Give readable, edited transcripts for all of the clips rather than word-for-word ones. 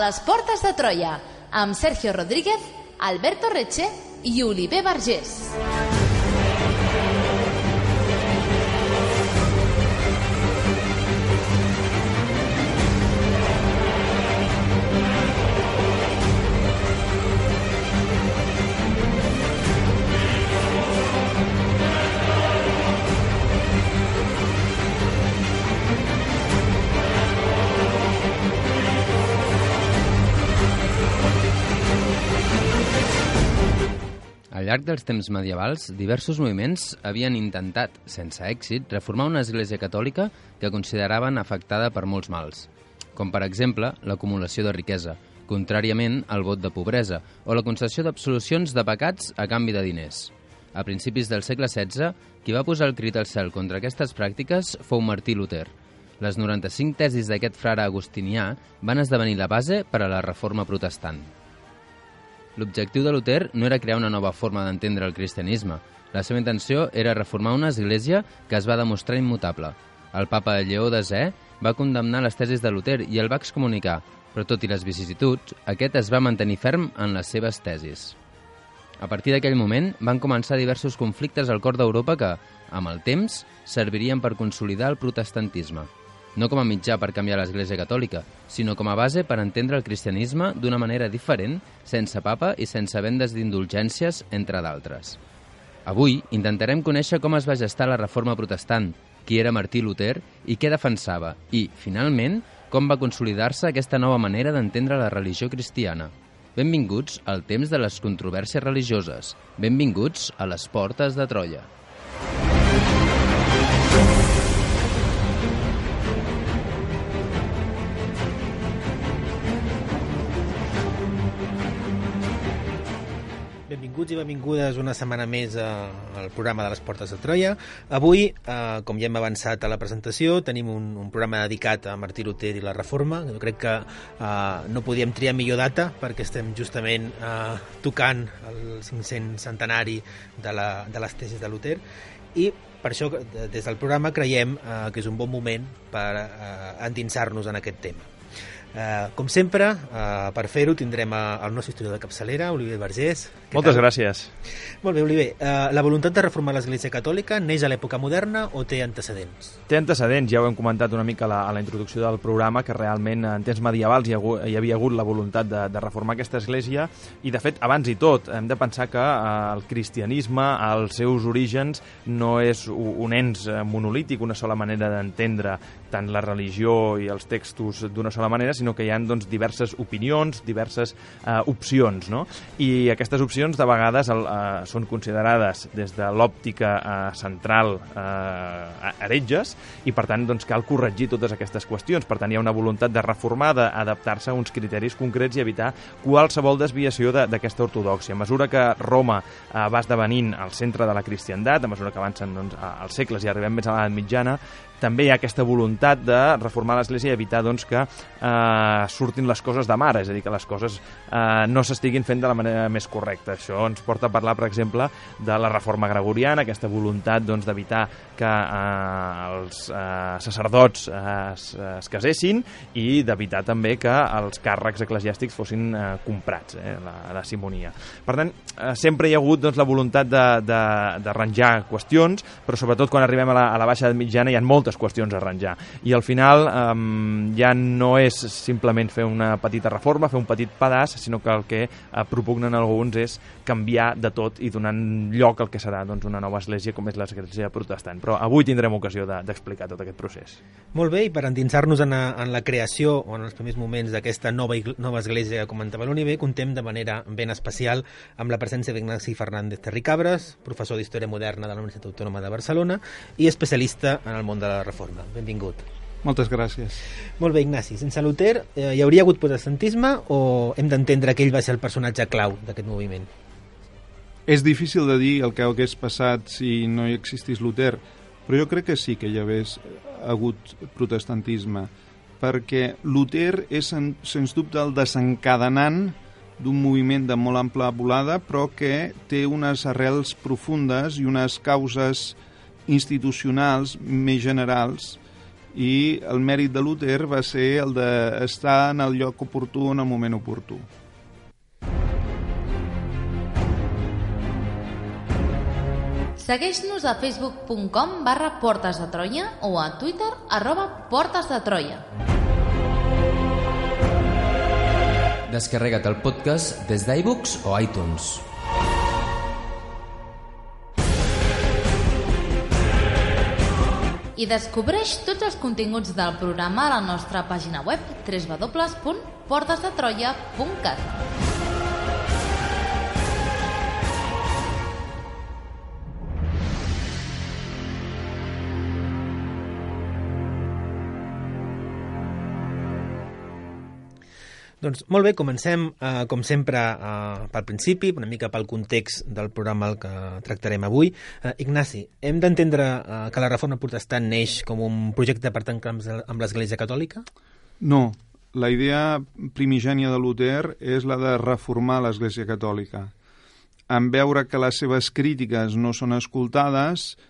les portes de Troia, amb Sergio Rodríguez, Alberto Reche i Oliver Vergés. Al llarg dels temps medievals, diversos moviments havien intentat, sense èxit, reformar una església catòlica que consideraven afectada per molts mals, com per exemple l'acumulació de riquesa, contràriament al vot de pobresa, o la concessió d'absolucions de pecats a canvi de diners. A principis del segle XVI, qui va posar el crit al cel contra aquestes pràctiques fou Martí Luter. Les 95 tesis d'aquest frare agustinià van esdevenir la base per a la reforma protestant. L'objectiu de Luter no era crear una nova forma d'entendre el cristianisme. La seva intenció era reformar una església que es va demostrar immutable. El papa Lleó X va condemnar les tesis de Luter i el va excomunicar, però tot i les vicissituds, aquest es va mantenir ferm en les seves tesis. A partir d'aquell moment van començar diversos conflictes al cor d'Europa que, amb el temps, servirien per consolidar el protestantisme. No com a mitjà per canviar l'Església Catòlica, sinó com a base per entendre el cristianisme d'una manera diferent, sense papa i sense vendes d'indulgències, entre d'altres. Avui intentarem conèixer com es va gestar la reforma protestant, qui era Martí Luter i què defensava, i, finalment, com va consolidar-se aquesta nova manera d'entendre la religió cristiana. Benvinguts al temps de les controvèrsies religioses. Benvinguts a les portes de Troia. Benvinguts i benvingudes una setmana més al programa de les Portes de Troia. Avui, com ja hem avançat a la presentació, tenim un programa dedicat a Martí Luter i la Reforma. Jo crec que no podíem triar millor data perquè estem justament tocant el 500 centenari de les tesis de Luter i per això des del programa creiem que és un bon moment per endinsar-nos en aquest tema. Com sempre, per fer-ho tindrem el nostre historiador de capçalera, Oliver Vergés. Moltes gràcies. Molt bé, Oliver. La voluntat de reformar l'Església Catòlica neix a l'època moderna o té antecedents? Té antecedents, ja ho hem comentat una mica a la introducció del programa, que realment en temps medievals hi havia hagut la voluntat de reformar aquesta església i, de fet, abans i tot, hem de pensar que el cristianisme, als seus orígens, no és un ens monolític, una sola manera d'entendre tant la religió i els textos d'una sola manera, sinó que hi ha diverses opinions, diverses opcions, no? I aquestes opcions de vegades són considerades des de l'òptica central heretges i per tant cal corregir totes aquestes qüestions. Per tant hi ha una voluntat de reformar, d'adaptar-se a uns criteris concrets i evitar qualsevol desviació d'aquesta ortodòxia. A mesura que Roma va esdevenint el centre de la cristiandat, a mesura que avancen els segles i arribem més a l'edat mitjana, també hi ha aquesta voluntat de reformar l'Església i evitar que surtin les coses de mare, és a dir, que les coses no s'estiguin fent de la manera més correcta. Això ens porta a parlar, per exemple, de la reforma gregoriana, aquesta voluntat d'evitar que els sacerdots es casessin i d'evitar també que els càrrecs eclesiàstics fossin comprats, la simonia. Per tant, sempre hi ha hagut la voluntat d'arranjar qüestions, però sobretot quan arribem a la baixa edat mitjana hi ha moltes qüestions a arranjar. I al final ja no és simplement fer una petita reforma, fer un petit pedaç, sinó que el que propugnen alguns és canviar de tot i donant lloc al que serà una nova església com és l'església protestant. Però avui tindrem ocasió d'explicar tot aquest procés. Molt bé, i per endinsar-nos en la creació o en els primers moments d'aquesta nova església que comentava l'Oliver, contem de manera ben especial amb la presència d'Ignasi Fernández Terricabras, professor d'Història Moderna de la Universitat Autònoma de Barcelona i especialista en el món de la Reforma. Benvingut. Moltes gràcies. Molt bé, Ignasi. Sense Luter hi hauria hagut protestantisme o hem d'entendre que ell va ser el personatge clau d'aquest moviment? És difícil de dir el que hagués passat si no hi existís Luter, però jo crec que sí que hi hagués hagut protestantisme, perquè Luter és, sens dubte, el desencadenant d'un moviment de molt ampla volada, però que té unes arrels profundes i unes causes institucionals més generals i el mèrit de Luter va ser el d'estar en el lloc oportú en el moment oportú. Segueix-nos a facebook.com/Portes de Troia o a Twitter @Portes de Troia. Descarrega't el podcast des d'iBooks o iTunes. I descobreix tots els continguts del programa a la nostra pàgina web www.portesdetroia.cat. Doncs molt bé, comencem, com sempre, pel principi, una mica pel context del programa que tractarem avui. Ignasi, hem d'entendre que la reforma protestant neix com un projecte per tancar amb l'Església Catòlica? No, la idea primigènia de Luter és la de reformar l'Església Catòlica. En veure que les seves crítiques no són escoltades,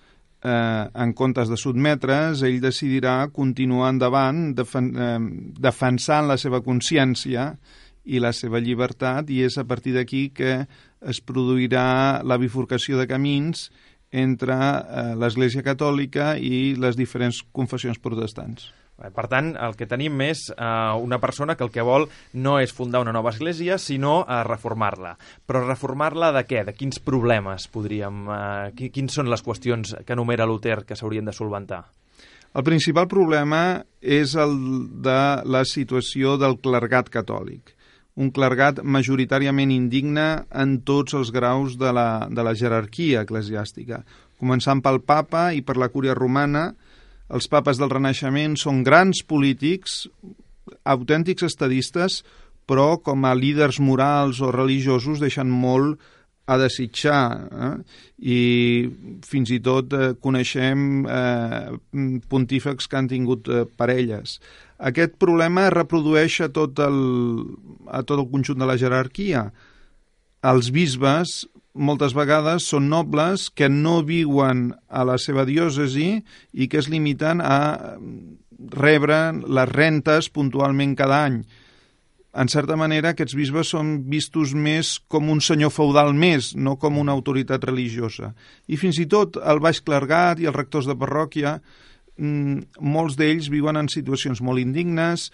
en comptes de sotmetre's, ell decidirà continuar endavant defensant la seva consciència i la seva llibertat, i és a partir d'aquí que es produirà la bifurcació de camins entre l'Església Catòlica i les diferents confessions protestants. Per tant, el que tenim és una persona que el que vol no és fundar una nova església, sinó reformar-la. Però reformar-la de què? De quins problemes podríem... Quins són les qüestions que enumera Luter que s'haurien de solventar? El principal problema és el de la situació del clergat catòlic. Un clergat majoritàriament indigne en tots els graus de la jerarquia eclesiàstica. Començant pel papa i per la cúria romana. Els papes del Renaixement són grans polítics, autèntics estadistes, però com a líders morals o religiosos deixen molt a desitjar. I fins i tot coneixem pontífex que han tingut parelles. Aquest problema es reprodueix a tot el conjunt de la jerarquia. Els bisbes moltes vegades són nobles que no viuen a la seva diòcesi i que es limiten a rebre les rentes puntualment cada any. En certa manera, aquests bisbes són vistos més com un senyor feudal més, no com una autoritat religiosa. I fins i tot el baix clergat i els rectors de parròquia, molts d'ells viuen en situacions molt indignes.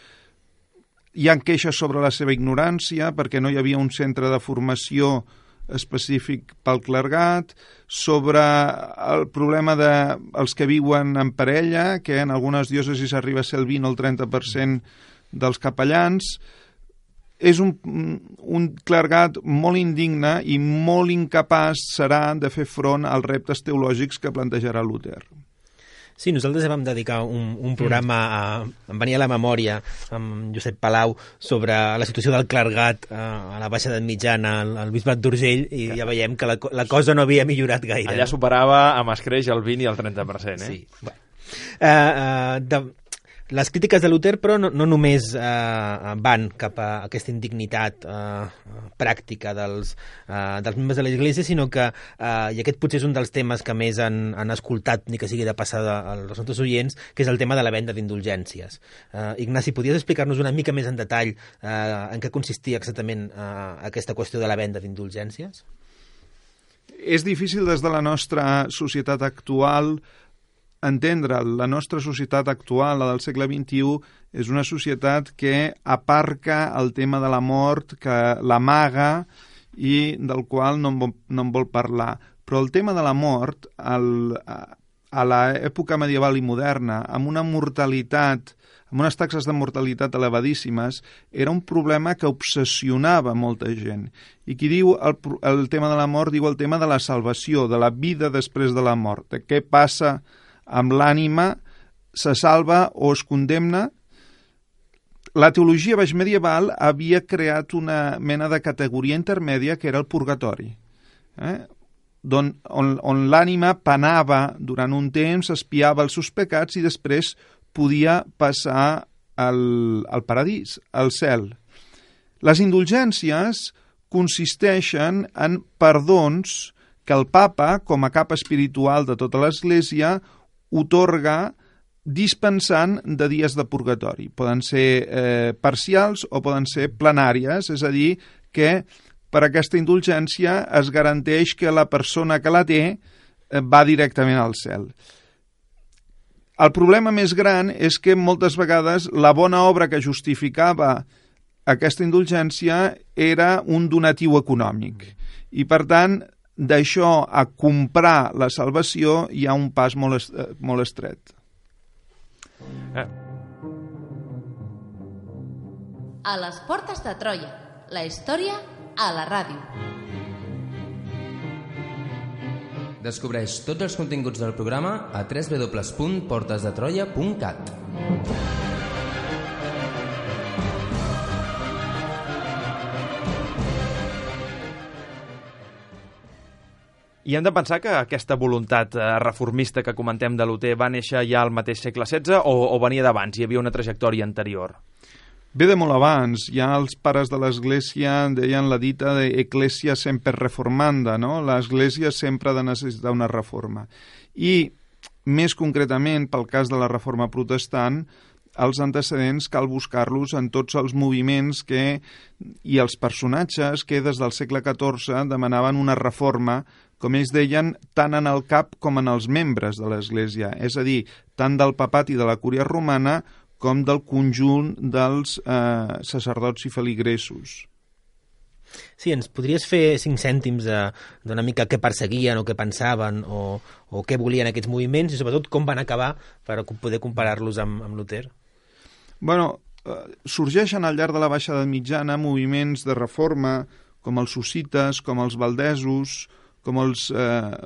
Hi ha queixes sobre la seva ignorància perquè no hi havia un centre de formació específic pel clergat, sobre el problema dels que viuen en parella, que en algunes diòcesis arriba a ser el 20 o el 30% dels capellans. És un clergat molt indigne i molt incapaç serà de fer front als reptes teològics que plantejarà Luter. Sí, nosaltres vam dedicar un programa, em venia a la memòria, amb Josep Palau, sobre la situació del clergat a la Baixa Edat Mitjana, al Bisbat d'Urgell, i ja veiem que la cosa no havia millorat gaire. Allà superava amb escreix el 20 i el 30%, Sí. Les crítiques de Luter, però, no només van cap a aquesta indignitat pràctica dels membres de l'Església, sinó que, i aquest potser és un dels temes que més han escoltat, ni que sigui de passada als nostres oients, que és el tema de la venda d'indulgències. Ignasi, podries explicar-nos una mica més en detall en què consistia exactament aquesta qüestió de la venda d'indulgències? És difícil des de la nostra societat actual entendre. La nostra societat actual, la del segle XXI, és una societat que aparca el tema de la mort, que l'amaga i del qual no en vol parlar. Però el tema de la mort, a l'època medieval i moderna, amb una mortalitat, amb unes taxes de mortalitat elevadíssimes, era un problema que obsessionava molta gent. I qui diu el tema de la mort, diu el tema de la salvació, de la vida després de la mort, de què passa amb l'ànima, se salva o es condemna. La teologia baixmedieval havia creat una mena de categoria intermèdia que era el purgatori, on l'ànima penava durant un temps, espiava els seus pecats i després podia passar al paradís, al cel. Les indulgències consisteixen en perdons que el papa, com a cap espiritual de tota l'Església, otorga dispensant de dies de purgatori. Poden ser parcials o poden ser plenàries, és a dir, que per aquesta indulgència es garanteix que la persona que la té va directament al cel. El problema més gran és que moltes vegades la bona obra que justificava aquesta indulgència era un donatiu econòmic. I, per tant, d'això a comprar la salvació hi ha un pas molt estret. A les portes de Troia, la història a la ràdio. Descobreix tots els continguts del programa a www.portesdetroia.cat. I hem de pensar que aquesta voluntat reformista que comentem de Luter va néixer ja al mateix segle XVI o venia d'abans? Hi havia una trajectòria anterior? Ve de molt abans. Ja els pares de l'Església deien la dita de Ecclesia semper reformanda, no? L'Església sempre ha de necessitar una reforma. I, més concretament, pel cas de la reforma protestant, els antecedents cal buscar-los en tots els moviments i els personatges que des del segle XIV demanaven una reforma, com ells deien, tant en el cap com en els membres de l'Església, és a dir, tant del papat i de la cúria romana com del conjunt dels sacerdots i feligresos. Sí, ens podries fer 5 cèntims d'una mica què perseguien o què pensaven o què volien aquests moviments i sobretot com van acabar per poder comparar-los amb Luter? Bueno, sorgeixen al llarg de la Baixa Edat Mitjana moviments de reforma com els hussites, com els valdesos, com els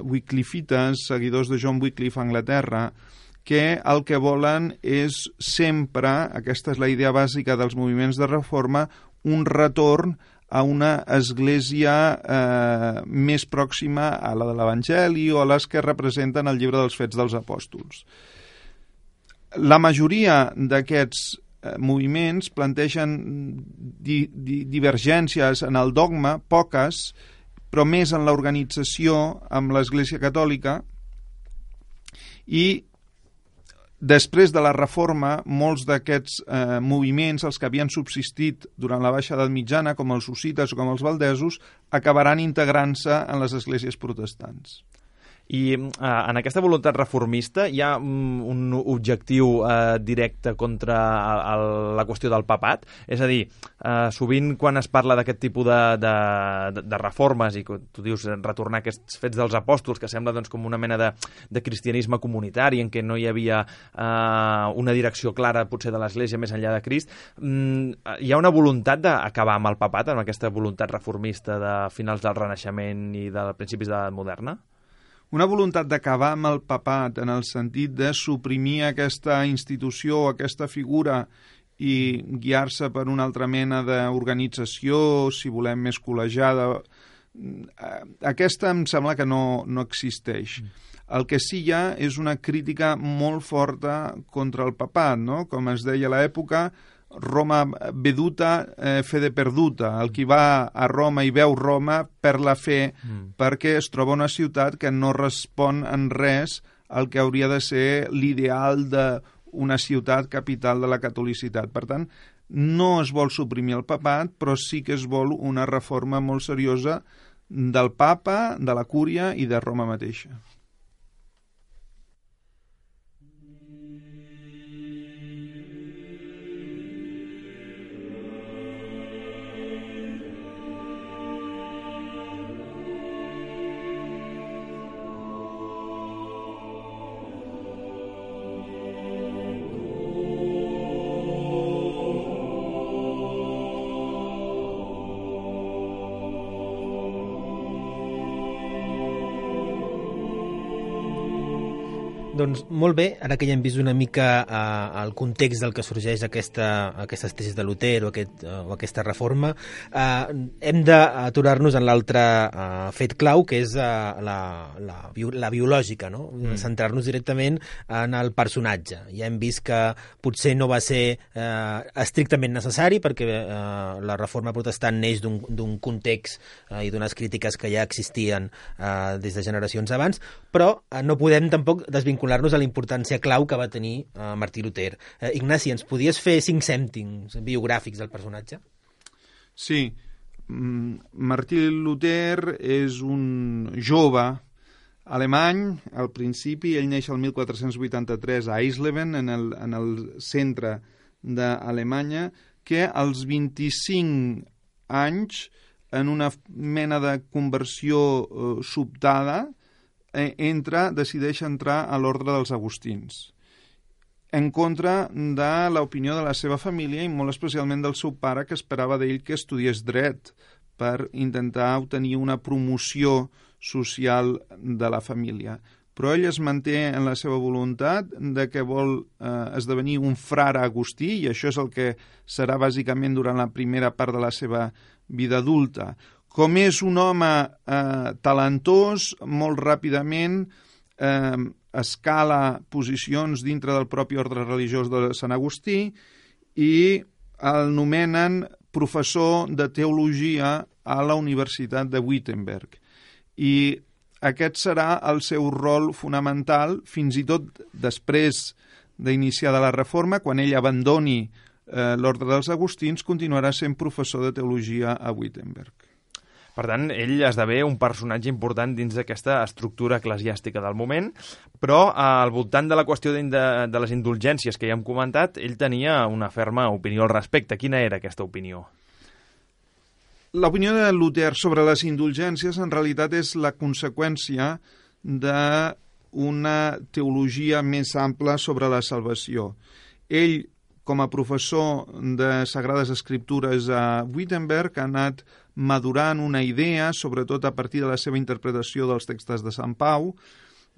wyclifites, seguidors de John Wycliffe a Anglaterra, que el que volen és sempre, aquesta és la idea bàsica dels moviments de reforma, un retorn a una església més pròxima a la de l'Evangeli o a les que representen el llibre dels Fets dels Apòstols. La majoria d'aquests moviments plantegen divergències en el dogma, poques, però més en l'organització amb l'Església Catòlica, i després de la Reforma, molts d'aquests moviments, els que havien subsistit durant la Baixa Edat Mitjana, com els hussites o com els valdesos, acabaran integrant-se en les esglésies protestants. I en aquesta voluntat reformista hi ha un objectiu directe contra la qüestió del papat? És a dir, sovint quan es parla d'aquest tipus de reformes i tu dius retornar aquests fets dels apòstols, que sembla doncs, com una mena de cristianisme comunitari en què no hi havia una direcció clara potser de l'Església més enllà de Crist, hi ha una voluntat d'acabar amb el papat, amb aquesta voluntat reformista de finals del Renaixement i de principis de l'edat moderna? Una voluntat d'acabar amb el papat en el sentit de suprimir aquesta institució o aquesta figura i guiar-se per una altra mena d'organització, si volem, més col·legiada. Aquesta em sembla que no existeix. El que sí hi ha és una crítica molt forta contra el papat, no? Com es deia a l'època, Roma veduta, fede perduta. El qui va a Roma i veu Roma per la fe, perquè es troba una ciutat que no respon en res al que hauria de ser l'ideal d'una ciutat capital de la catolicitat. Per tant, no es vol suprimir el papat, però sí que es vol una reforma molt seriosa del papa, de la cúria i de Roma mateixa. Doncs molt bé, ara que ja hem vist una mica el context del que sorgeix aquestes tesis de Luter o aquesta reforma, hem d'aturar-nos en l'altre fet clau, que és la biològica, no? Centrar-nos directament en el personatge. Ja hem vist que potser no va ser estrictament necessari, perquè la reforma protestant neix d'un context i d'unes crítiques que ja existien des de generacions abans, però no podem tampoc desvincular vincular-nos a la importància clau que va tenir Martí Luter. Ignasi, ens podies fer 5 cèntims biogràfics del personatge? Sí. Martí Luter és un jove alemany. Al principi, ell neix el 1483 a Eisleben, en el centre d'Alemanya, que als 25 anys, en una mena de conversió sobtada, decideix entrar a l'ordre dels agustins, en contra de l'opinió de la seva família i molt especialment del seu pare, que esperava d'ell que estudiés dret per intentar obtenir una promoció social de la família. Però ell es manté en la seva voluntat de que vol esdevenir un frare agustí, i això és el que serà bàsicament durant la primera part de la seva vida adulta. Com és un home talentós, molt ràpidament escala posicions dintre del propi ordre religiós de Sant Agustí i el nomenen professor de teologia a la Universitat de Wittenberg. I aquest serà el seu rol fonamental, fins i tot després d'iniciar la Reforma, quan ell abandoni l'ordre dels agustins, continuarà sent professor de teologia a Wittenberg. Per tant, ell esdevé un personatge important dins d'aquesta estructura eclesiàstica del moment, però al voltant de la qüestió de les indulgències que ja hem comentat, ell tenia una ferma opinió al respecte. Quina era aquesta opinió? L'opinió de Luter sobre les indulgències en realitat és la conseqüència d'una teologia més ampla sobre la salvació. Ell, com a professor de Sagrades Escriptures a Wittenberg, ha anat madurant una idea, sobretot a partir de la seva interpretació dels textos de Sant Pau,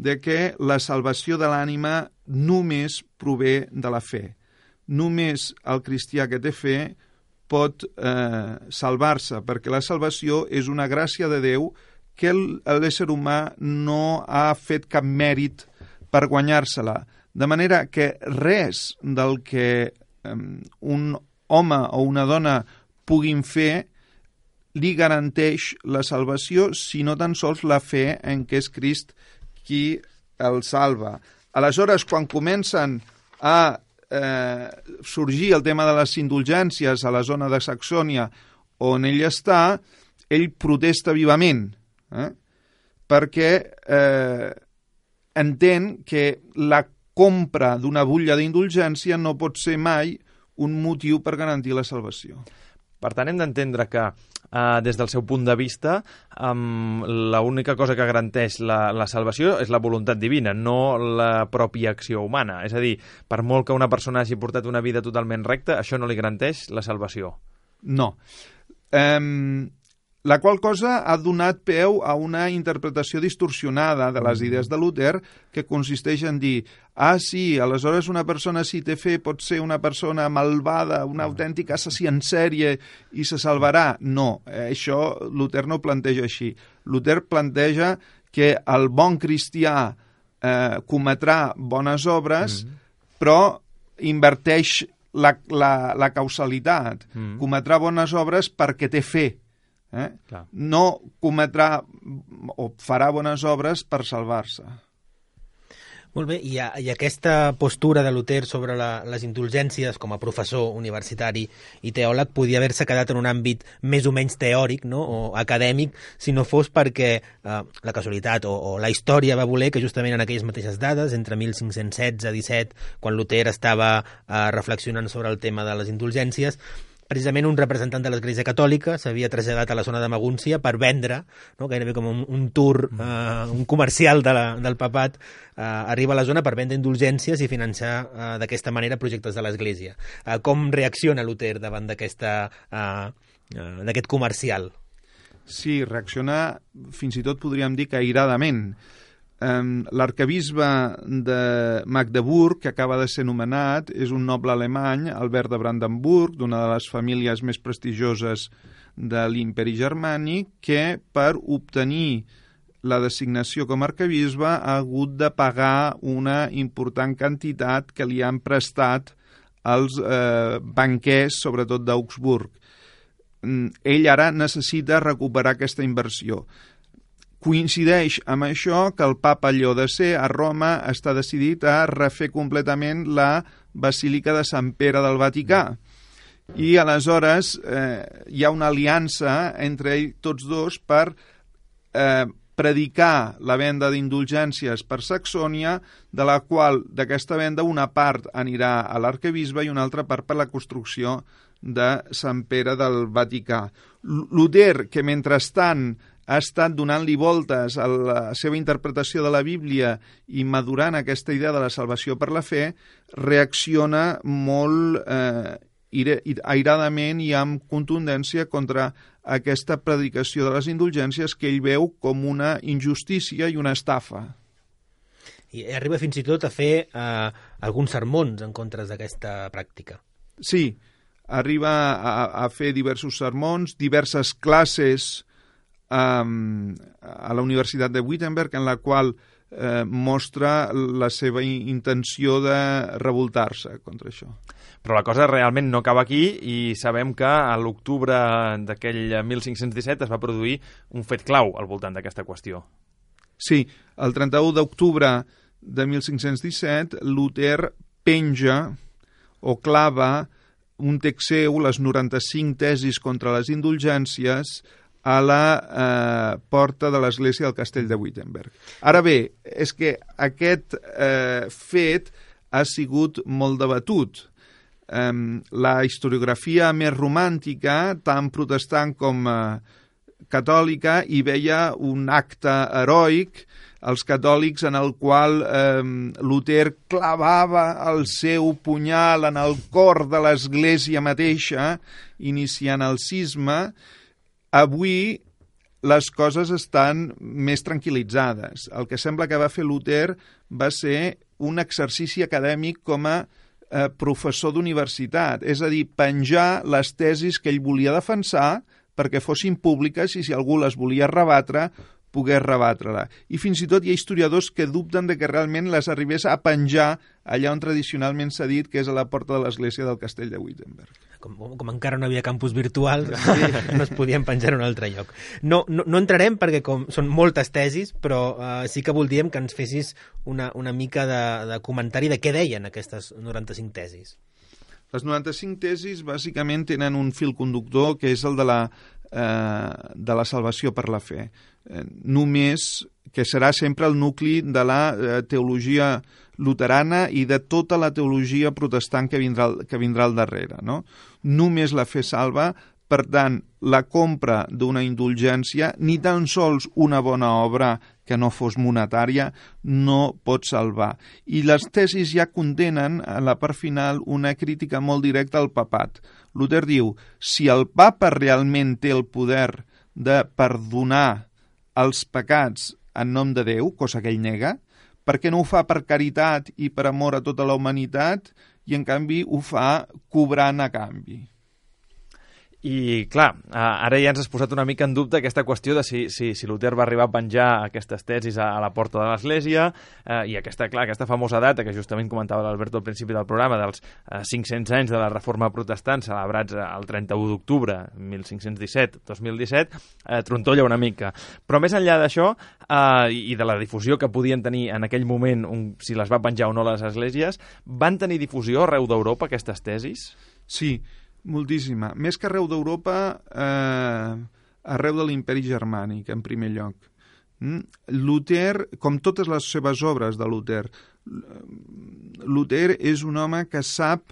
de que la salvació de l'ànima només prové de la fe. Només el cristià que té fe pot salvar-se, perquè la salvació és una gràcia de Déu que l'ésser humà no ha fet cap mèrit per guanyar-se-la. De manera que res del que un home o una dona puguin fer li garanteix la salvació, sinó tan sols la fe en què és Crist qui el salva. Aleshores, quan comencen a sorgir el tema de les indulgències a la zona de Saxònia on ell està, ell protesta vivament, perquè entén que la compra d'una butlla d'indulgència no pot ser mai un motiu per garantir la salvació. Per tant, hem d'entendre que des del seu punt de vista l'única cosa que garanteix la salvació és la voluntat divina, no la pròpia acció humana. És a dir, per molt que una persona hagi portat una vida totalment recta, això no li garanteix la salvació. No. La qual cosa ha donat peu a una interpretació distorsionada de les idees de Luter, que consisteix en dir, sí, aleshores una persona si té fe pot ser una persona malvada, una autèntica assassí en sèrie i se salvarà. No, això Luter no planteja així. Luter planteja que el bon cristià cometrà bones obres, però inverteix la causalitat. Cometrà bones obres perquè té fe. No cometrà o farà bones obres per salvar-se. Molt bé, i aquesta postura de Luter sobre les indulgències com a professor universitari i teòleg podia haver-se quedat en un àmbit més o menys teòric, no? O acadèmic, si no fos perquè la casualitat o la història va voler que justament en aquelles mateixes dades, entre 1516 i 17, quan Luter estava reflexionant sobre el tema de les indulgències, precisament un representant de l'Església Catòlica s'havia traslladat a la zona de Magúncia per vendre, no? Gairebé com un tour, un comercial del papat, arriba a la zona per vendre indulgències i financiar d'aquesta manera projectes de l'Església. Com reacciona Luter davant d'aquest comercial? Sí, reacciona, fins i tot podríem dir que airadament. L'arquebisbe de Magdeburg, que acaba de ser nomenat, és un noble alemany, Albert de Brandenburg, d'una de les famílies més prestigioses de l'imperi germànic, que per obtenir la designació com a arquebisbe ha hagut de pagar una important quantitat que li han prestat els banquers, sobretot d'Augsburg. Ell ara necessita recuperar aquesta inversió. coincideix amb això que el papa Lleó X a Roma està decidit a refer completament la Basílica de Sant Pere del Vaticà. I aleshores hi ha una aliança entre tots dos per predicar la venda d'indulgències per Saxònia, de la qual d'aquesta venda una part anirà a l'arquebisbe i una altra part per la construcció de Sant Pere del Vaticà. Luter, que mentrestant ha estat donant-li voltes a la seva interpretació de la Bíblia i madurant aquesta idea de la salvació per la fe, reacciona molt airadament i amb contundència contra aquesta predicació de les indulgències que ell veu com una injustícia i una estafa. I arriba fins i tot a fer alguns sermons en contra d'aquesta pràctica. Sí, arriba a fer diversos sermons, diverses classes a la Universitat de Wittenberg, en la qual mostra la seva intenció de revoltar-se contra això. Però la cosa realment no acaba aquí i sabem que a l'octubre d'aquell 1517 es va produir un fet clau al voltant d'aquesta qüestió. Sí, el 31 d'octubre de 1517 Luter penja o clava un text seu, les 95 tesis contra les indulgències, a la porta de l'església del castell de Wittenberg. Ara bé, és que aquest fet ha sigut molt debatut. La historiografia més romàntica, tant protestant com catòlica, hi veia un acte heroic, els catòlics, en el qual Luter clavava el seu punyal en el cor de l'església mateixa, iniciant el cisma. Avui les coses estan més tranquil·litzades. El que sembla que va fer Luter va ser un exercici acadèmic com a professor d'universitat, és a dir, penjar les tesis que ell volia defensar perquè fossin públiques i si algú les volia rebatre, pogués rebatre-la. I fins i tot hi ha historiadors que dubten de que realment les arribés a penjar allà on tradicionalment s'ha dit, que és a la porta de l'església del castell de Wittenberg. Com encara no havia campus virtuals, no es podien penjar en un altre lloc. No entrarem perquè són moltes tesis, però sí que voldríem que ens fessis una mica de comentari de què deien aquestes 95 tesis. Les 95 tesis bàsicament tenen un fil conductor que és el de la salvació per la fe. Només que serà sempre el nucli de la teologia luterana i de tota la teologia protestant que vindrà al darrere, no? Només la fe salva, per tant, la compra d'una indulgència, ni tan sols una bona obra que no fos monetària, no pot salvar. I les tesis ja contenen, a la part final, una crítica molt directa al papat. Luter diu, si el papa realment té el poder de perdonar els pecats en nom de Déu, cosa que ell nega, per què no ho fa per caritat i per amor a tota la humanitat i en canvi ho fa cobrant a canvi? I, clar, ara ja ens has posat una mica en dubte aquesta qüestió de si Luter va arribar a penjar aquestes tesis a la porta de l'Església i aquesta famosa data que justament comentava l'Alberto al principi del programa dels 500 anys de la Reforma Protestant celebrats el 31 d'octubre 1517-2017 trontolla una mica. Però més enllà d'això i de la difusió que podien tenir en aquell moment si les va penjar o no les esglésies, van tenir difusió arreu d'Europa aquestes tesis? Sí, moltíssima. Més que arreu d'Europa, arreu de l'imperi germànic, en primer lloc. Luter, com totes les seves obres de Luter, Luter és un home que sap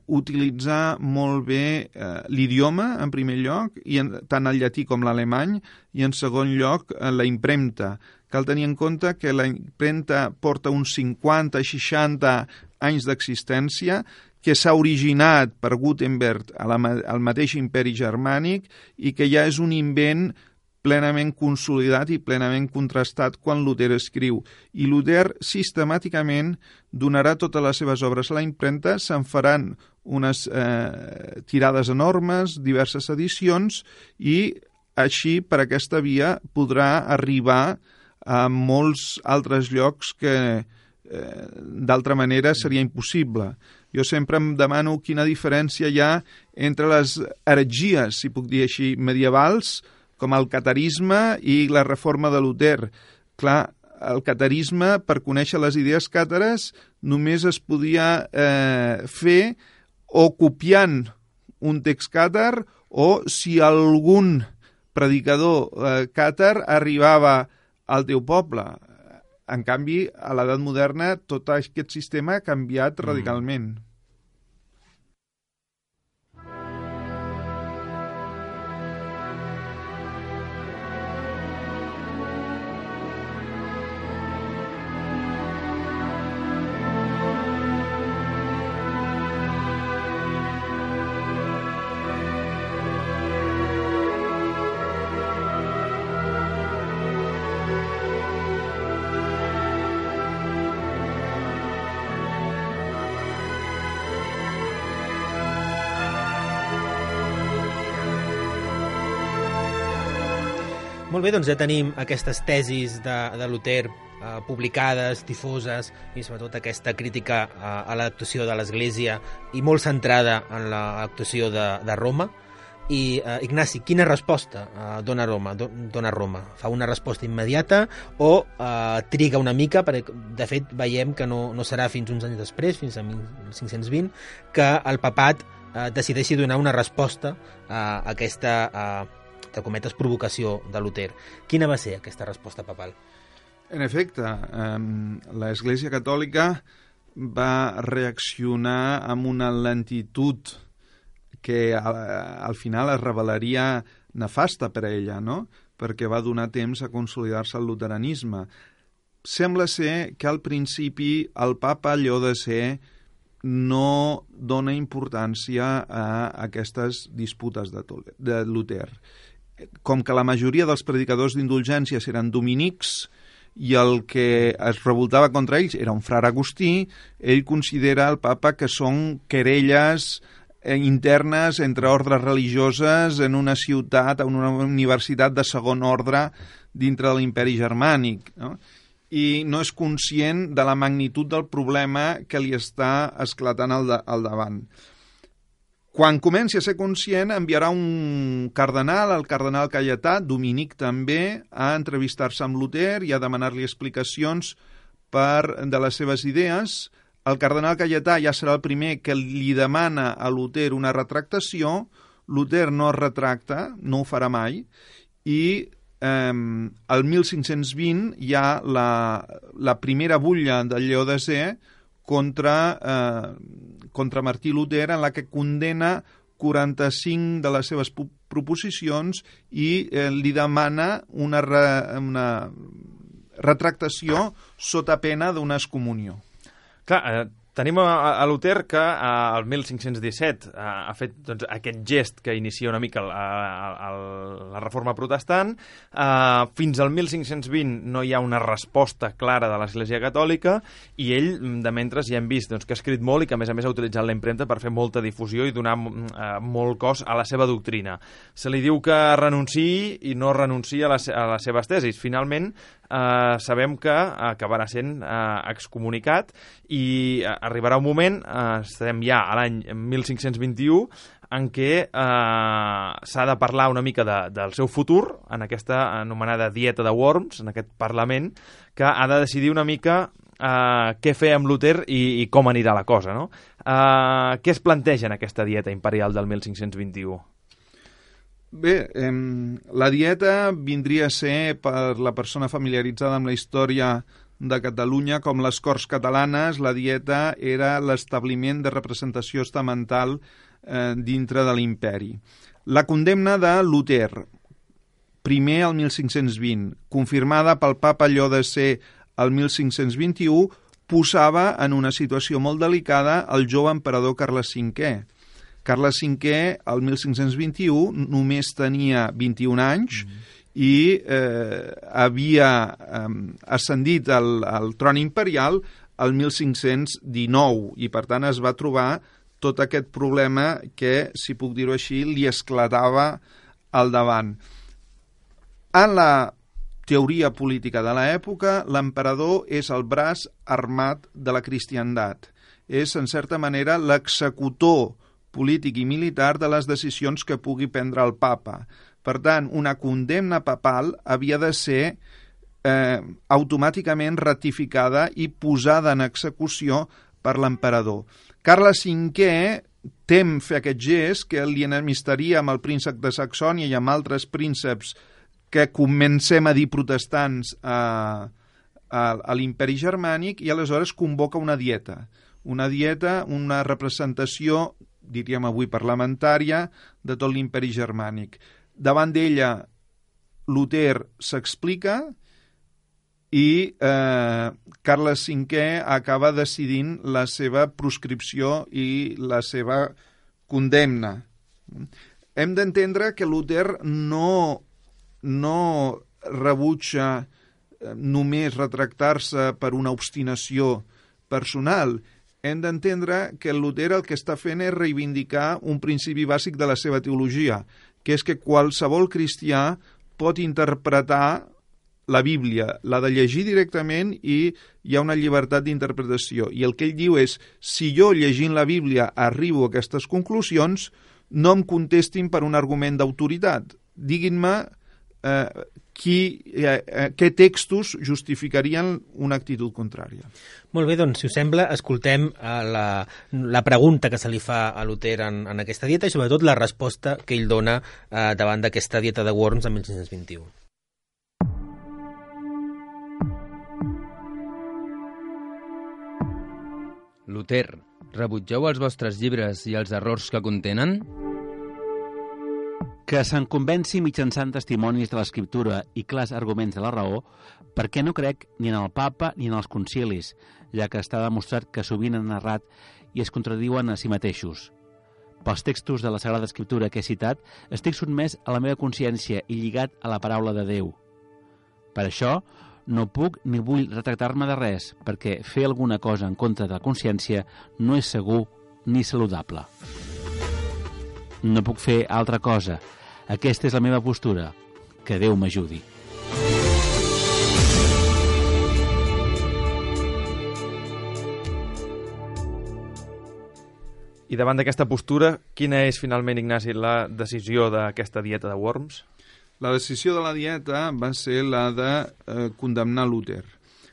utilitzar molt bé l'idioma, en primer lloc, tant el llatí com l'alemany, i en segon lloc la impremta. Cal tenir en compte que la impremta porta uns 50-60 anys d'existència, que s'ha originat per Gutenberg al mateix imperi germànic i que ja és un invent plenament consolidat i plenament contrastat quan Luter escriu. I Luter sistemàticament donarà totes les seves obres a la impremta, se'n faran unes tirades enormes, diverses edicions, i així per aquesta via podrà arribar a molts altres llocs que d'altra manera seria impossible. Jo sempre em demano quina diferència hi ha entre les heretgies, si puc dir així, medievals, com el catarisme i la reforma de Luter. Clar, el catarisme, per conèixer les idees càtares, només es podia fer o copiant un text càtar o si algun predicador càtar arribava al teu poble. En canvi, a l'edat moderna, tot aquest sistema ha canviat radicalment. Molt bé, doncs ja tenim aquestes tesis de Luter publicades, difoses, i sobretot aquesta crítica a l'actuació de l'Església i molt centrada en l'actuació de Roma. I, Ignasi, quina resposta dona Roma? Fa una resposta immediata o triga una mica? Perquè, de fet, veiem que no serà fins uns anys després, fins a 1520, que el papat decideixi donar una resposta a aquesta de cometes provocació de Luter. Quina va ser aquesta resposta papal? En efecte, l'Església Catòlica va reaccionar amb una lentitud que al final es revelaria nefasta per a ella, no? Perquè va donar temps a consolidar-se el luteranisme. Sembla ser que al principi el papa Lleó X no dona importància a aquestes disputes de Luter. Com que la majoria dels predicadors d'indulgències eren dominics i el que es revoltava contra ells era un frare agustí, ell considera el papa que són querelles internes entre ordres religioses en una ciutat, en una universitat de segon ordre dintre de l'imperi germànic, no? I no és conscient de la magnitud del problema que li està esclatant al davant. Quan comenci a ser conscient, enviarà un cardenal, el cardenal Caietà, dominic també, a entrevistar-se amb Luter i a demanar-li explicacions de les seves idees. El cardenal Caietà ja serà el primer que li demana a Luter una retractació. Luter no es retracta, no ho farà mai, i el 1520 hi ha la primera butlla de Lleó X contra Martí Luter, en la que condena 45 de les seves proposicions i li demana una retractació sota pena d'una excomunió. Clar, tenim a Luter que el 1517 ha fet doncs, aquest gest que inicia una mica la reforma protestant. Fins al 1520 no hi ha una resposta clara de l'Església Catòlica i ell, de mentre, ja hem vist doncs, que ha escrit molt i que, a més, ha utilitzat la impremta per fer molta difusió i donar molt cos a la seva doctrina. Se li diu que renunciï i no renuncia a les seves tesis. Finalment, sabem que acabarà sent excomunicat i arribarà un moment, estarem ja a l'any 1521, en què s'ha de parlar una mica del seu futur, en aquesta anomenada Dieta de Worms, en aquest Parlament, que ha de decidir una mica què fer amb Luter i com anirà la cosa, no? Què es planteja en aquesta Dieta imperial del 1521? Bé, la dieta vindria a ser, per la persona familiaritzada amb la història de Catalunya, com les Corts Catalanes, la dieta era l'establiment de representació estamental dintre de l'imperi. La condemna de Luter, primer al 1520, confirmada pel papa Lleó X al 1521, posava en una situació molt delicada el jove emperador Carles V. Carles V, el 1521, només tenia 21 anys i havia ascendit al tron imperial el 1519 i, per tant, es va trobar tot aquest problema que, si puc dir-ho així, li esclatava al davant. En la teoria política de l'època, l'emperador és el braç armat de la cristiandat. És, en certa manera, l'executor polític i militar de les decisions que pugui prendre el papa. Per tant, una condemna papal havia de ser automàticament ratificada i posada en execució per l'emperador. Carles V tem fer aquest gest que li enemistaria amb el príncep de Saxònia i amb altres prínceps que comencem a dir protestants a l'imperi germànic, i aleshores convoca una dieta, una representació, diríem avui parlamentària, de tot l'imperi germànic. Davant d'ella, Luter s'explica i Carles V acaba decidint la seva proscripció i la seva condemna. Hem d'entendre que Luter no rebutja només retractar-se per una obstinació personal. Hem d'entendre que Luter el que està fent és reivindicar un principi bàsic de la seva teologia, que és que qualsevol cristià pot interpretar la Bíblia, l'ha de llegir directament i hi ha una llibertat d'interpretació. I el que ell diu és, si jo llegint la Bíblia arribo a aquestes conclusions, no em contestin per un argument d'autoritat. Diguin-me què textos justificarien una actitud contrària. Molt bé, doncs, si us sembla, escoltem la pregunta que se li fa a Luter en aquesta dieta i sobretot la resposta que ell dona davant d'aquesta dieta de Worms en 1521. Luter, rebutgeu els vostres llibres i els errors que contenen? Que se'n convenci mitjançant testimonis de l'escriptura i clars arguments de la raó, perquè no crec ni en el papa ni en els concilis, ja que està demostrat que sovint han errat i es contradiuen a si mateixos. Pels textos de la Sagrada Escriptura que he citat, estic sotmès a la meva consciència i lligat a la paraula de Déu. Per això, no puc ni vull retractar-me de res, perquè fer alguna cosa en contra de la consciència no és segur ni saludable. No puc fer altra cosa. Aquesta és la meva postura. Que Déu m'ajudi. I davant d'aquesta postura, quina és finalment, Ignasi, la decisió d'aquesta dieta de Worms? La decisió de la dieta va ser la de condemnar Luter.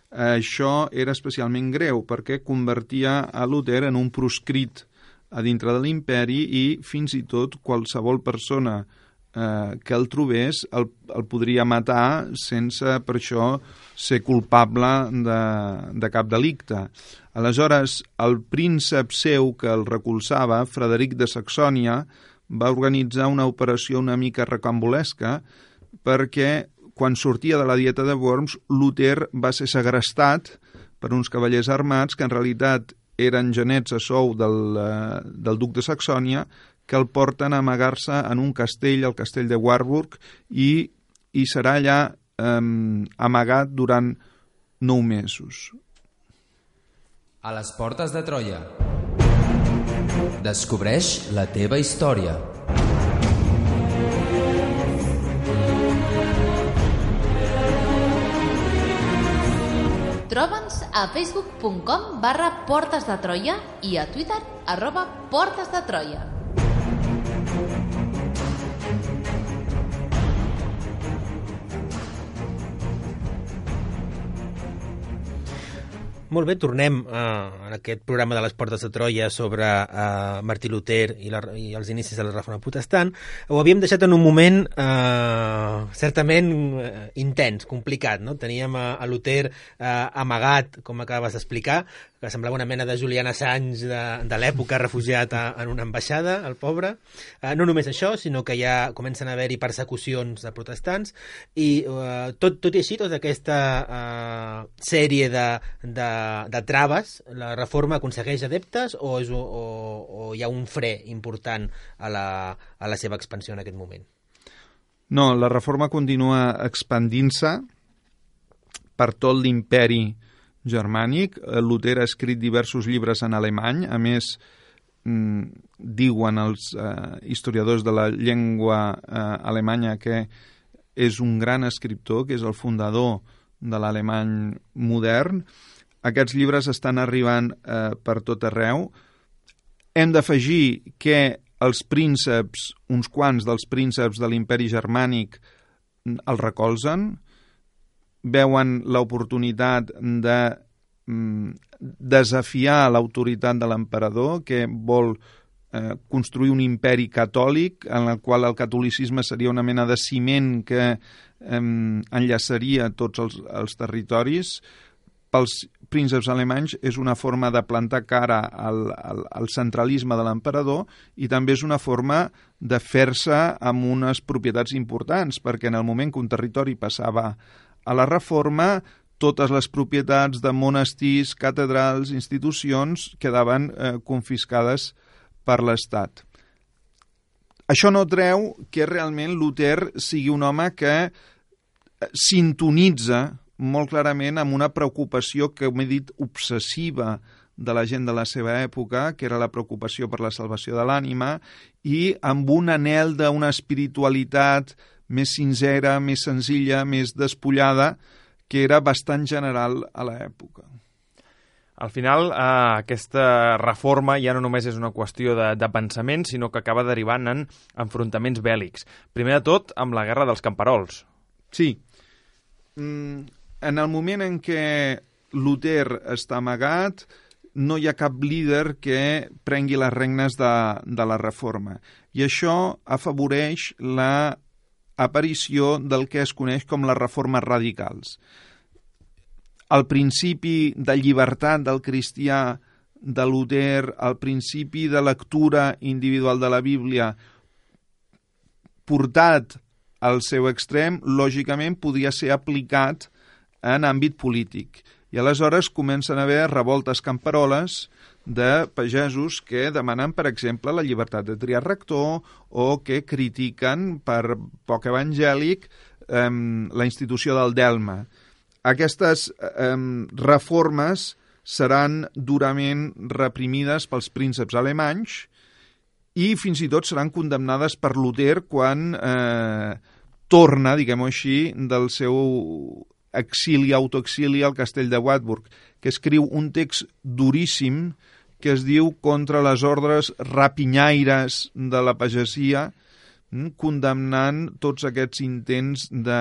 Això era especialment greu perquè convertia a Luter en un proscrit a dintre de l'imperi i fins i tot qualsevol persona que el trobés el podria matar sense per això ser culpable de cap delicte. Aleshores, el príncep seu que el recolzava, Frederic de Saxònia, va organitzar una operació una mica recambolesca perquè quan sortia de la dieta de Worms, Luter va ser segrestat per uns cavallers armats que en realitat eren genets a sou del duc de Saxònia, que el porten a amagar-se en un castell, el castell de Warburg, i serà allà amagat durant 9 mesos. A les portes de Troia. Descobreix la teva història. Troba'ns a facebook.com/Portes de Troia i a Twitter @Portes de Troia. Molt bé, tornem en aquest programa de les Portes de Troia sobre Martí Luter i els inicis de la Reforma Protestant. Ho havíem deixat en un moment certament intens, complicat, no? Teníem a Luter amagat, com acabes d'explicar, que semblava una mena de Julian Assange de l'època, refugiat en una ambaixada, el pobre. No només això, sinó que ja comencen a haver-hi persecucions de protestants i tot i així, tota aquesta sèrie de traves, la reforma aconsegueix adeptes o hi ha un fre important a la seva expansió en aquest moment? No, la reforma continua expandint-se per tot l'imperi germànic. Luter ha escrit diversos llibres en alemany, a més diuen els historiadors de la llengua alemanya que és un gran escriptor, que és el fundador de l'alemany modern. Aquests llibres estan arribant per tot arreu. Hem d'afegir que els prínceps, uns quants dels prínceps de l'imperi germànic el recolzen, veuen l'oportunitat de desafiar l'autoritat de l'emperador, que vol construir un imperi catòlic en el qual el catolicisme seria una mena de ciment que enllaçaria tots els territoris. Pels prínceps alemanys és una forma de plantar cara al centralisme de l'emperador i també és una forma de fer-se amb unes propietats importants, perquè en el moment que un territori passava a la reforma, totes les propietats de monestirs, catedrals, institucions quedaven confiscades per l'Estat. Això no treu que realment Luter sigui un home que sintonitza molt clarament amb una preocupació que, com he dit, obsessiva de la gent de la seva època, que era la preocupació per la salvació de l'ànima, i amb un anhel d'una espiritualitat més sincera, més senzilla, més despullada, que era bastant general a l'època. Al final, aquesta reforma ja no només és una qüestió de pensament, sinó que acaba derivant en enfrontaments bèl·lics. Primer de tot, amb la Guerra dels Camperols. Sí. En el moment en què Luter està amagat, no hi ha cap líder que prengui les regnes de la reforma. I això afavoreix l'aparició del que es coneix com les reformes radicals. El principi de llibertat del cristià de Luter, el principi de lectura individual de la Bíblia, portat al seu extrem, lògicament podria ser aplicat en àmbit polític. I aleshores comencen a haver revoltes camperoles de pagesos que demanen, per exemple, la llibertat de triar rector o que critiquen per poc evangèlic la institució del delme. Aquestes reformes seran durament reprimides pels prínceps alemanys i fins i tot seran condemnades per Luter quan torna, diguem-ho així, del seu exili, autoexili al castell de Wartburg, que escriu un text duríssim que es diu Contra les ordres rapinyaires de la pagesia, condemnant tots aquests intents de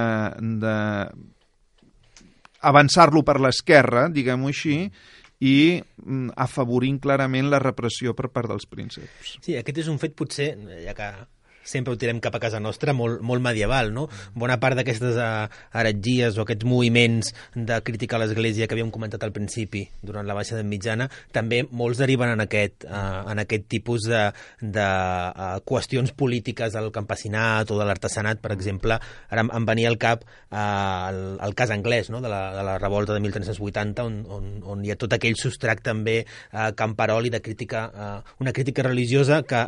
avançar-lo per l'esquerra, diguem-ho així, i afavorint clarament la repressió per part dels prínceps. Sí, aquest és un fet potser, ja que sempre ho tirem cap a casa nostra, molt medieval, no? Bona part d'aquestes heretgies o aquests moviments de crítica a l'Església que havíem comentat al principi, durant la Baixa Edat Mitjana, també molts deriven en aquest tipus de qüestions polítiques del campesinat o de l'artesanat, per exemple. Ara em venia al cap el cas anglès, no? de la revolta de 1380, on hi ha tot aquell substrat també camperol i de crítica, una crítica religiosa que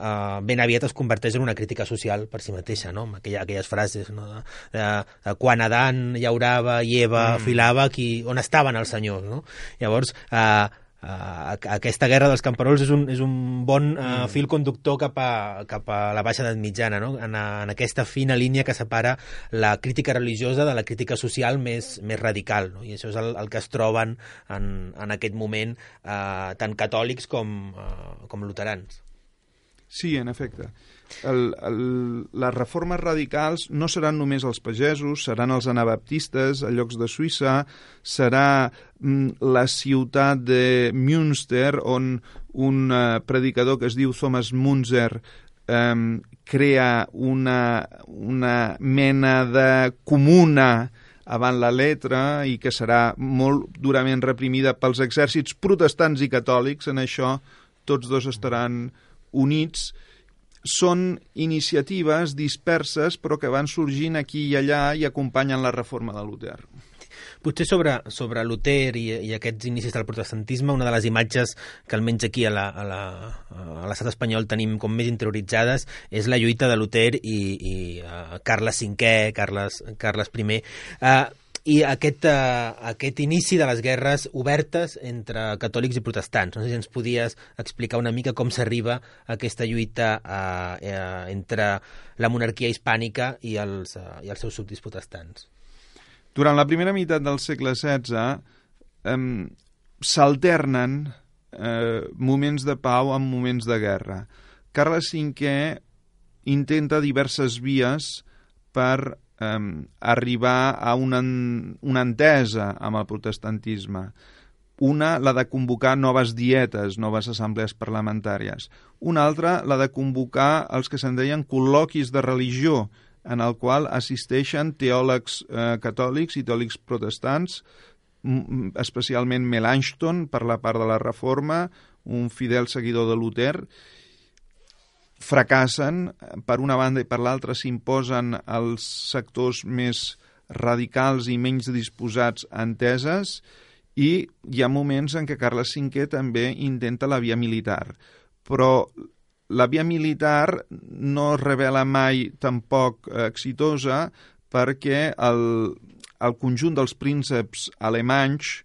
ben aviat es converteix en una crítica social per si mateixa, no? Amb aquelles frases, no? de quan Adán llaurava i Eva filava, on estaven els senyors, no? Llavors, aquesta guerra dels camperols és un bon fil conductor cap a la Baixa Edat Mitjana, no? En aquesta fina línia que separa la crítica religiosa de la crítica social més radical, no? I això és el que es troben en aquest moment tant catòlics com luterans. Sí, en efecte. Les reformes radicals no seran només els pagesos, seran els anabaptistes a llocs de Suïssa, serà la ciutat de Münster, on un predicador que es diu Thomas Munzer crea una mena de comuna avant la letra i que serà molt durament reprimida pels exèrcits protestants i catòlics. En això tots dos estaran units. Són iniciatives disperses però que van sorgint aquí i allà i acompanyen la reforma de Luter. Potser sobre Luter i aquests inicis del protestantisme, una de les imatges que almenys aquí a l'estat espanyol tenim com més interioritzades és la lluita de Luter i Carles V, Carles I, i aquest inici de les guerres obertes entre catòlics i protestants. No sé si ens podies explicar una mica com s'arriba a aquesta lluita entre la monarquia hispànica i els seus súbdits protestants. Durant la primera meitat del segle XVI s'alternen moments de pau amb moments de guerra. Carles V intenta diverses vies per arribar a una entesa amb el protestantisme. Una, la de convocar noves dietes, noves assemblees parlamentàries. Una altra, la de convocar els que se'n deien col·loquis de religió, en el qual assisteixen teòlegs catòlics i teòlegs protestants, especialment Melanchthon, per la part de la Reforma, un fidel seguidor de Luter. Fracassen, per una banda i per l'altra s'imposen els sectors més radicals i menys disposats a enteses, i hi ha moments en què Carles V també intenta la via militar. Però la via militar no es revela mai tampoc exitosa, perquè el conjunt dels prínceps alemanys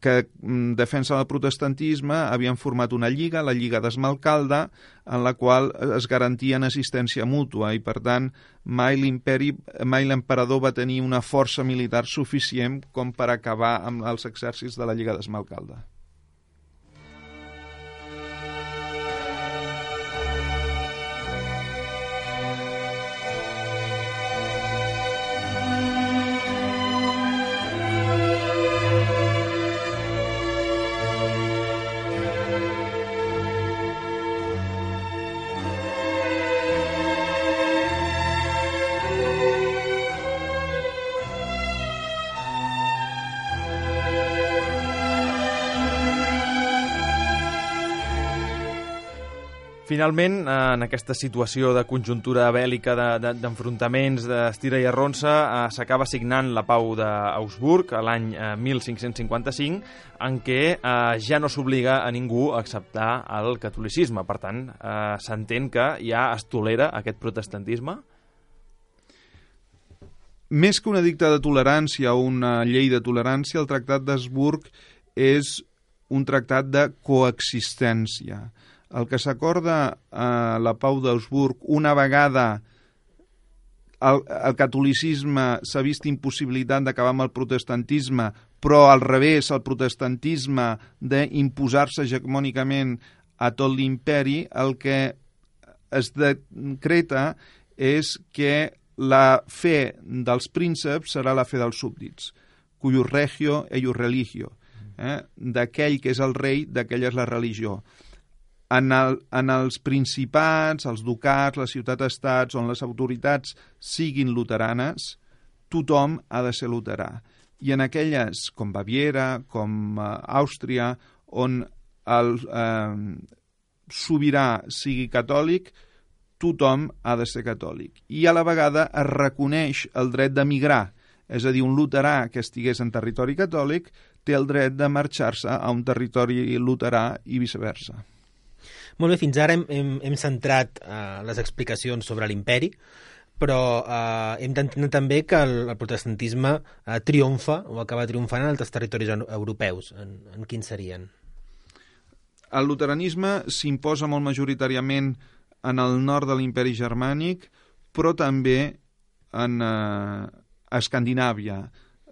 que defensen el protestantisme havien format una lliga, la Lliga d'Esmalcalda, en la qual es garantien assistència mútua i, per tant, mai l'emperador va tenir una força militar suficient com per acabar amb els exèrcits de la Lliga d'Esmalcalda. Finalment, en aquesta situació de conjuntura bèl·lica, d'enfrontaments, d'estira i arronsa, s'acaba signant la Pau d'Augsburg l'any 1555, en què ja no s'obliga a ningú a acceptar el catolicisme. Per tant, s'entén que ja es tolera aquest protestantisme? Més que un edicte de tolerància o una llei de tolerància, el Tractat d'Habsburg és un tractat de coexistència. El que s'acorda a la Pau d'Augsburg, una vegada el catolicisme s'ha vist impossibilitat d'acabar amb el protestantisme, però al revés, el protestantisme d'imposar-se hegemònicament a tot l'imperi, el que es decreta és que la fe dels prínceps serà la fe dels súbdits, cuius regio eius religio, d'aquell que és el rei, d'aquella és la religió. En els principats, els ducats, les ciutats-estats, on les autoritats siguin luteranes, tothom ha de ser luterà. I en aquelles, com Baviera, com Àustria, on el sobirà sigui catòlic, tothom ha de ser catòlic. I a la vegada es reconeix el dret d'emigrar, és a dir, un luterà que estigués en territori catòlic té el dret de marxar-se a un territori luterà i viceversa. Molt bé, fins ara hem centrat les explicacions sobre l'imperi, però hem d'entendre també que el protestantisme triomfa o acaba triomfant en altres territoris europeus. En quins serien? El luteranisme s'imposa molt majoritàriament en el nord de l'imperi germànic, però també en Escandinàvia.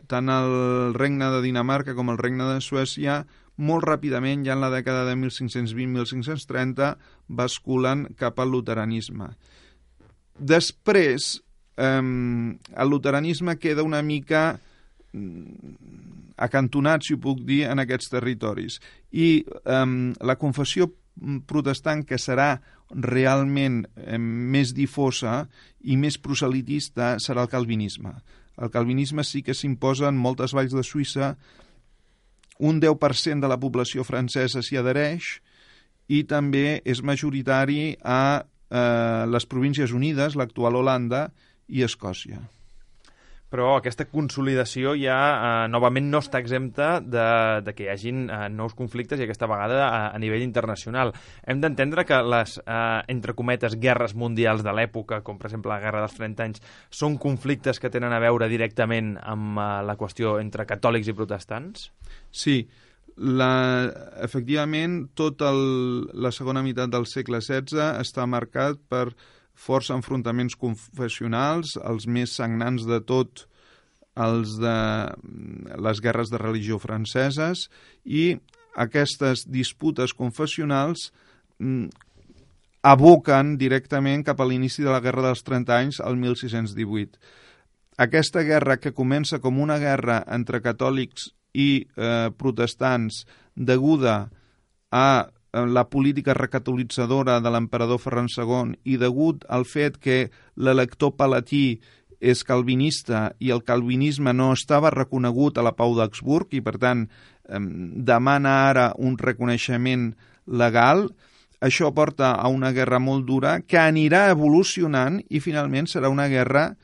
Tant el regne de Dinamarca com el regne de Suècia molt ràpidament, ja en la dècada de 1520-1530, basculen cap al luteranisme. Després, el luteranisme queda una mica acantonat, si ho puc dir, en aquests territoris. I la confessió protestant, que serà realment més difosa i més proselitista, serà el calvinisme. El calvinisme sí que s'imposa en moltes valls de Suïssa, un 10% de la població francesa s'hi adhereix i també és majoritari a les Províncies Unides, l'actual Holanda, i Escòcia. Però aquesta consolidació ja novament no està exempta de que hi hagin nous conflictes i aquesta vegada a nivell internacional. Hem d'entendre que les, entre cometes, guerres mundials de l'època, com per exemple la Guerra dels 30 anys, són conflictes que tenen a veure directament amb la qüestió entre catòlics i protestants? Sí, efectivament, tota la segona meitat del segle XVI està marcat per força enfrontaments confessionals, els més sagnants de tot els de les guerres de religió franceses, i aquestes disputes confessionals aboquen directament cap a l'inici de la Guerra dels 30 anys, el 1618. Aquesta guerra, que comença com una guerra entre catòlics i protestants deguda a la política recatolitzadora de l'emperador Ferran II i degut al fet que l'elector palatí és calvinista i el calvinisme no estava reconegut a la Pau d'Augsburg i, per tant, demana ara un reconeixement legal. Això porta a una guerra molt dura que anirà evolucionant i finalment serà una guerra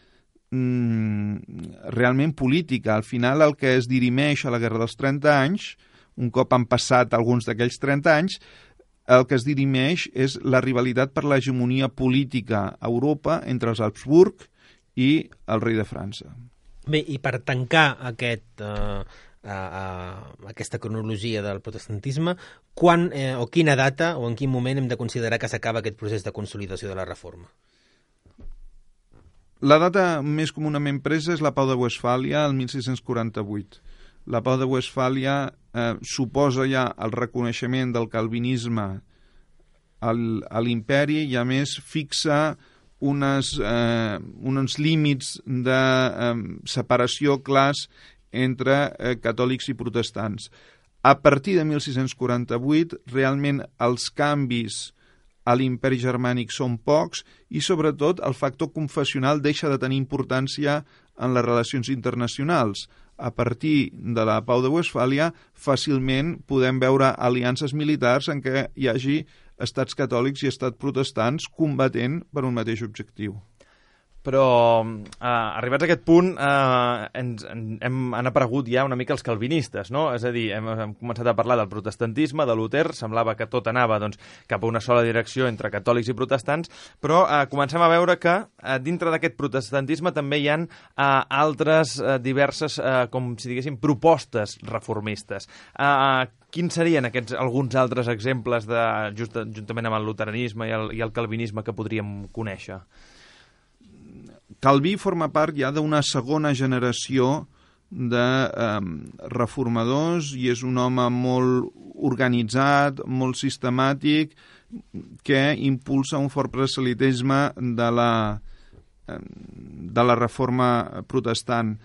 realment política. Al final el que es dirimeix a la Guerra dels 30 anys, un cop han passat alguns d'aquells 30 anys, el que es dirimeix és la rivalitat per l'hegemonia política a Europa entre els Habsburg i el rei de França. Bé, i per tancar aquesta cronologia del protestantisme, quan o quina data o en quin moment hem de considerar que s'acaba aquest procés de consolidació de la reforma? La data més comunament presa és la Pau de Westfàlia, el 1648. La Pau de Westfàlia suposa ja el reconeixement del calvinisme a l'imperi i, a més, fixa uns límits de separació clars entre catòlics i protestants. A partir de 1648, realment els canvis a l'imperi germànic són pocs i, sobretot, el factor confessional deixa de tenir importància en les relacions internacionals. A partir de la Pau de Westfàlia, fàcilment podem veure aliances militars en què hi hagi estats catòlics i estats protestants combatent per un mateix objectiu. Però, arribats a aquest punt, han aparegut ja una mica els calvinistes, no? És a dir, hem començat a parlar del protestantisme, de Luter, semblava que tot anava cap a una sola direcció entre catòlics i protestants, però comencem a veure que dintre d'aquest protestantisme també hi ha altres diverses, com si diguéssim, propostes reformistes. Quins serien alguns altres exemples, juntament amb el luteranisme i el calvinisme, que podríem conèixer? Calví forma part ja d'una segona generació de reformadors i és un home molt organitzat, molt sistemàtic, que impulsa un fort proselitisme de la reforma protestant.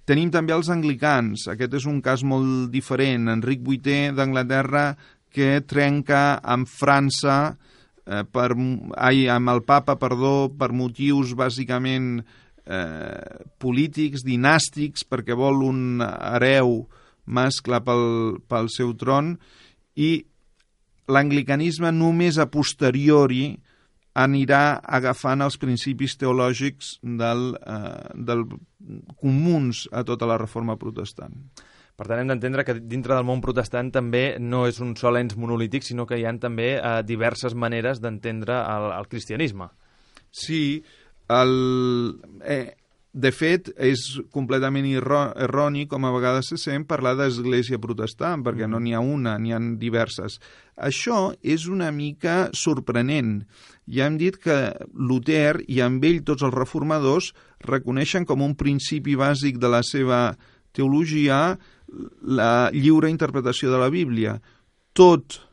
Tenim també els anglicans. Aquest és un cas molt diferent. Enric VIII d'Anglaterra, que trenca amb França amb el papa, per motius bàsicament polítics, dinàstics, perquè vol un hereu mascle pel seu tron, i l'anglicanisme només a posteriori anirà agafant els principis teològics del comuns a tota la reforma protestant. Per tant, hem d'entendre que dintre del món protestant també no és un sol ens monolític, sinó que hi ha també diverses maneres d'entendre el cristianisme. Sí, de fet, és completament erroni, com a vegades se sent, parlar d'església protestant, perquè no n'hi ha una, n'hi ha diverses. Això és una mica sorprenent. Ja hem dit que Luter, i amb ell tots els reformadors, reconeixen com un principi bàsic de la seva teologia la lliure interpretació de la Bíblia. Tot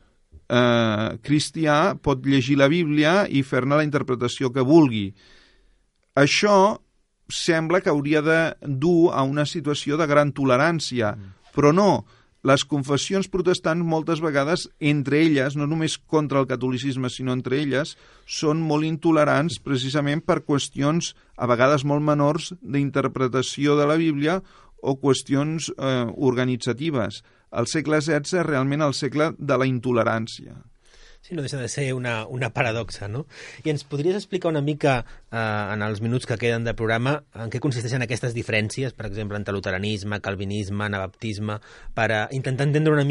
cristià pot llegir la Bíblia i fer-ne la interpretació que vulgui. Això sembla que hauria de dur a una situació de gran tolerància, però no. Les confessions protestants moltes vegades, entre elles, no només contra el catolicisme, sinó entre elles, són molt intolerants precisament per qüestions a vegades molt menors d'interpretació de la Bíblia o qüestions organitzatives. El segle XVI és realment el segle de la intolerància. Sí, no deixa de ser una paradoxa, no? I ens podries explicar una mica, en els minuts que queden de programa, en què consisteixen aquestes diferències, per exemple, entre luteranisme, calvinisme, anabaptisme, per intentar entendre una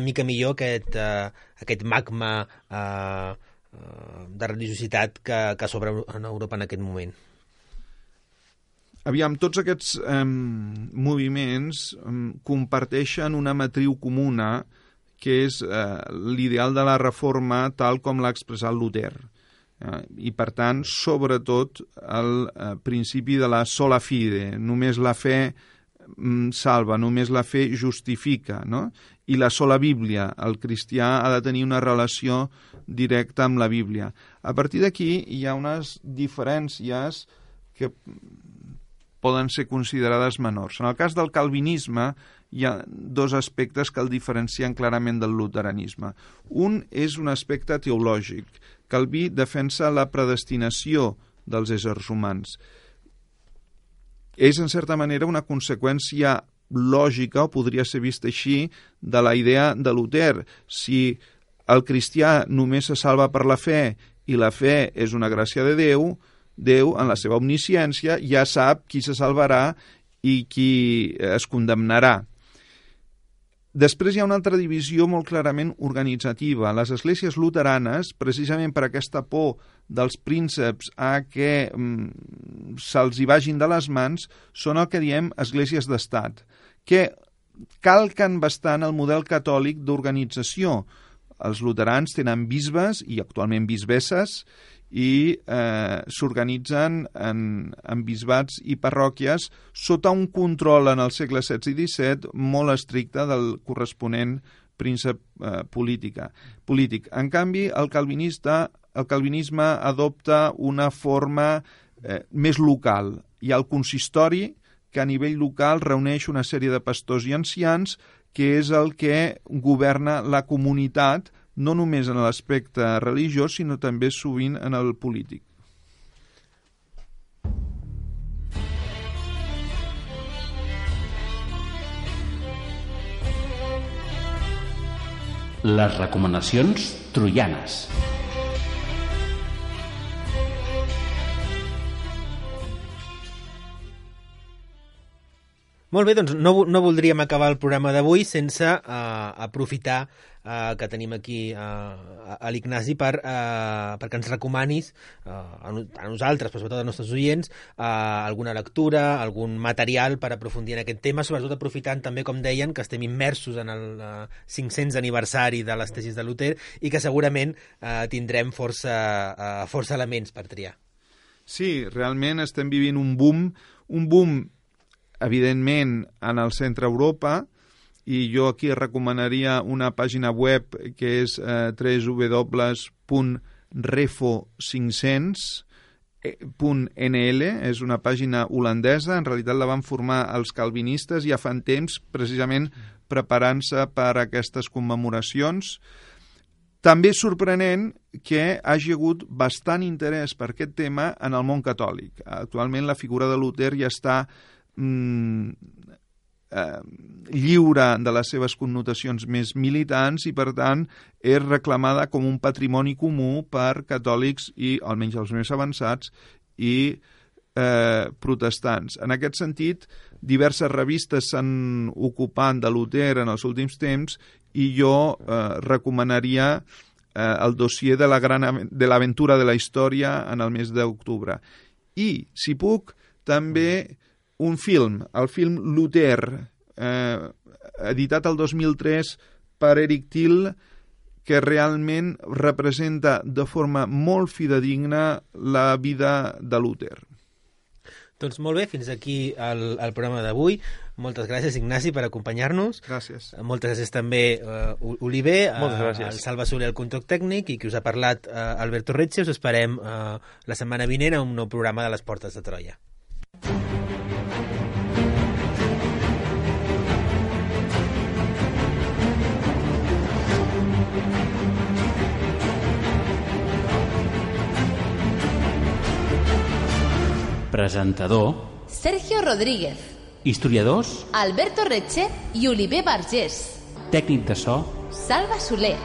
mica millor aquest magma de religiositat que s'obre en Europa en aquest moment? Aviam, tots aquests moviments comparteixen una matriu comuna, que és l'ideal de la reforma tal com l'ha expressat Luter. I, per tant, sobretot, el principi de la sola fide. Només la fe salva, només la fe justifica, no? I la sola Bíblia, el cristià ha de tenir una relació directa amb la Bíblia. A partir d'aquí hi ha unes diferències que poden ser considerades menors. En el cas del calvinisme hi ha dos aspectes que el diferencien clarament del luteranisme. Un és un aspecte teològic. Calví defensa la predestinació dels éssers humans. És, en certa manera, una conseqüència lògica, o podria ser vista així, de la idea de Luter. Si el cristià només se salva per la fe i la fe és una gràcia de Déu, Déu, en la seva omnisciència, ja sap qui se salvarà i qui es condemnarà. Després hi ha una altra divisió molt clarament organitzativa. Les esglésies luteranes, precisament per aquesta por dels prínceps a que se'ls hi vagin de les mans, són el que diem esglésies d'estat, que calquen bastant el model catòlic d'organització. Els luterans tenen bisbes i actualment bisbesses i s'organitzen en bisbats i parròquies sota un control en el segle XVI i XVII molt estricte del corresponent príncep polític. En canvi, el calvinisme adopta una forma més local. Hi ha el consistori, que a nivell local reuneix una sèrie de pastors i ancians, que és el que governa la comunitat, no només en l'aspecte religiós, sinó també sovint en el polític. Les recomanacions troianes. Molt bé, doncs no voldríem acabar el programa d'avui sense aprofitar que tenim aquí a l'Ignasi perquè ens recomanis a nosaltres, però sobretot als nostres oients, alguna lectura, algun material per aprofundir en aquest tema, sobretot aprofitant també, com deien, que estem immersos en el 500 aniversari de les tesis de Luter i que segurament tindrem força elements per triar. Sí, realment estem vivint un boom evidentment en el centre Europa, i jo aquí recomanaria una pàgina web que és www.refo500.nl, és una pàgina holandesa, en realitat la van formar els calvinistes ja fa temps, precisament preparant-se per a aquestes commemoracions. També és sorprenent que hagi hagut bastant interès per aquest tema en el món catòlic. Actualment la figura de Luter ja està lliure de les seves connotacions més militants i, per tant, és reclamada com un patrimoni comú per catòlics i, almenys els més avançats, i protestants. En aquest sentit, diverses revistes s'han ocupat de Luter en els últims temps i jo recomanaria el dossier de l'aventura de la història en el mes d'octubre. I, si puc, també un film, el film Luter, editat el 2003 per Eric Till, que realment representa de forma molt fidedigna la vida de Luter. Doncs molt bé, fins aquí el programa d'avui. Moltes gràcies, Ignasi, per acompanyar-nos. Gràcies. Moltes gràcies també, Oliver, al Salva Soler, el control tècnic, i qui us ha parlat, Alberto Retxe. Us esperem la setmana vinent a un nou programa de les Portes de Troia. Presentador Sergio Rodríguez. Historiadors Alberto Retxe i Oliver Vergés. Tècnic de so Salva Soler.